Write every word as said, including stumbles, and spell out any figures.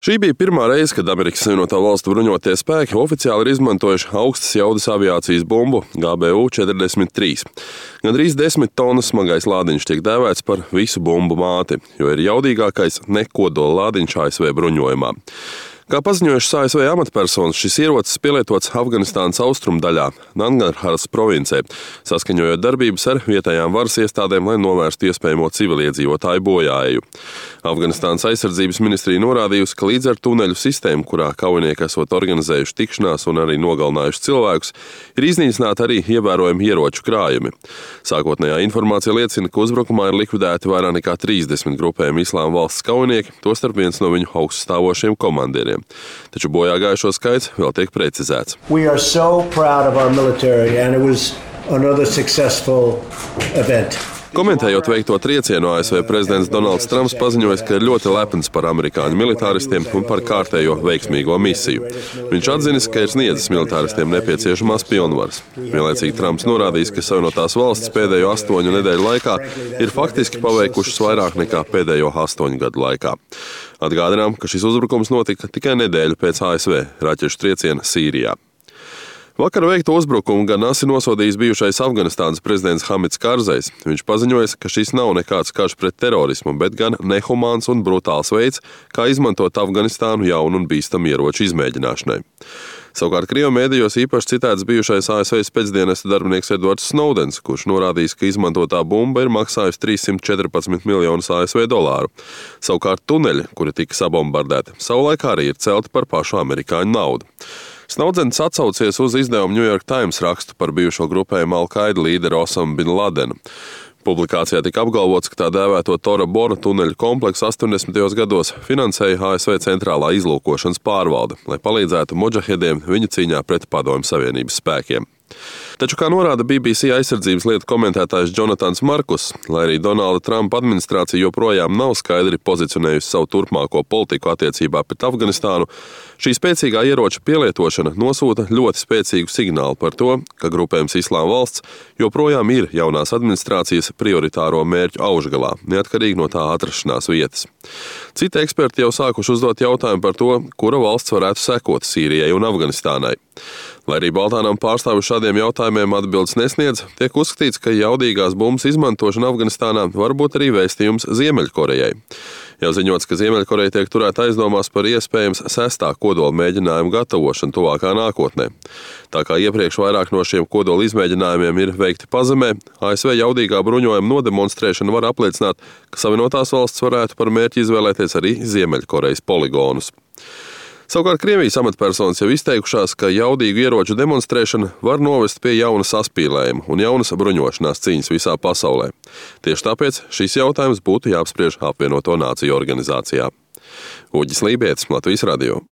Šī bija pirmā reize, kad Amerikas Savienoto Valstu bruņotie spēki oficiāli ir izmantojuši augstas jaudas aviācijas bumbu G B U četrdesmit trīs. Gandrīz desmit tonnas smagais lādiņš tiek dēvēts par visu bumbu māti, jo ir jaudīgākais nekodola lādiņš A S V bruņojumā. Kā paziņojušas A S V amatpersonas, šis ierocis pielietots Afganistānas austrumdaļā, Nangarharas provincē, saskaņojot darbības ar vietējām varas iestādēm, lai novērstu iespējamo civiliedzīvotāju bojāēju. Afganistānas aizsardzības ministrija norādījusi, ka līdz ar tuneļu sistēmu, kurā kaujinieki esot organizējuši tikšanās un arī nogalinājuši cilvēkus, ir iznīcināti arī ievērojami ieroču krājumi. Sākotnējā informācija liecina, ka uzbrukumā ir likvidēti vairāk nekā trīsdesmit grupējumi Islāma valsts kaujinieki, tostarp viens no viņu augststāvošiem komandieriem. Taču bojā gājušo skaits vēl tiek precizēts. We are so proud of our military and it was another successful event. Komentējot veikto triecienu, A S V prezidents Donalds Trumps paziņoja, ka ir ļoti lepns par amerikāņu militāristiem un par kārtējo veiksmīgo misiju. Viņš atzinis, ka ir sniedzis militāristiem nepieciešamās pilnvaras. Vienlaicīgi Trumps norādījis, ka Savienotās valstis pēdējo astoņu nedēļu laikā ir faktiski paveikušas vairāk nekā pēdējo astoņu gadu laikā. Atgādinām, ka šis uzbrukums notika tikai nedēļu pēc A S V raķešu trieciena Sīrijā. Vakar veikto uzbrukumu gan asi nosodījis bijušais Afganistānas prezidents Hamids Karzais. Viņš paziņoja, ka šis nav nekāds karš pret terorismu, bet gan nehumāns un brutāls veids, kā izmantot Afganistānu jaunu un bīstamu ieroču izmēģināšanai. Savukārt Krievu mēdījos īpaši citēts bijušais A S V spēcdienestu darbinieks Edvards Snowdens, kurš norādījis, ka izmantotā bumba ir maksājusi trīssimt četrpadsmit miljonus A S V dolāru. Savukārt tuneļi, kuri tika sabombardēti, savulaik arī ir celti par pašu amerikāņu naudu. Snowdens atsaucies uz izdevumu New York Times rakstu par bijušo grupējumu Al-Qaida līderu Osama bin Ladenu. Publikācijā tika apgalvots, ka tā dēvēto Tora Bora tuneļu kompleksu astoņdesmitajos gados finansēja A S V centrālā izlūkošanas pārvalde, lai palīdzētu modžahediem viņu cīņā pret Padomju Savienības spēkiem. Taču, kā norāda B B C aizsardzības lietu komentētājs Jonatans Markus, lai arī Donalda Trumpa administrācija joprojām nav skaidri pozicionējusi savu turpmāko politiku attiecībā pret Afganistānu, šī spēcīgā ieroča pielietošana nosūta ļoti spēcīgu signālu par to, ka grupējums Islāma valsts joprojām ir jaunās administrācijas prioritāro mērķu augšgalā, neatkarīgi no tā atrašanās vietas. Citi eksperti jau sākuši uzdot jautājumu par to, kura valsts varētu sekot Sīrijai un Afganistānai. Lai arī Baltānam pārstāvi šādiem jautājumiem atbildes nesniedz, tiek uzskatīts, ka jaudīgās bumbas izmantošana Afganistānā var būt arī vēstījums Ziemeļkorejai. Jau ziņots, ka Ziemeļkoreja tiek turēta aizdomās par iespējams sestā kodola mēģinājumu gatavošanu tuvākā nākotnē. Tā kā iepriekš vairāk no šiem kodola izmēģinājumiem ir veikti pazemē, A S V jaudīgā bruņojuma nodemonstrēšana var apliecināt, ka Savienotās valsts varētu par mērķi izvēlēties arī Ziemeļkorejas poligonus. Savukārt Krievijas amatpersonas jau izteikušās, ka jaudīgu ieroču demonstrēšana var novest pie jauna saspīlējuma un jaunas bruņošanās cīņas visā pasaulē. Tieši tāpēc šis jautājums būtu jāapspriež Apvienoto Nāciju organizācijā. Uģis Lībietis, Latvijas radio.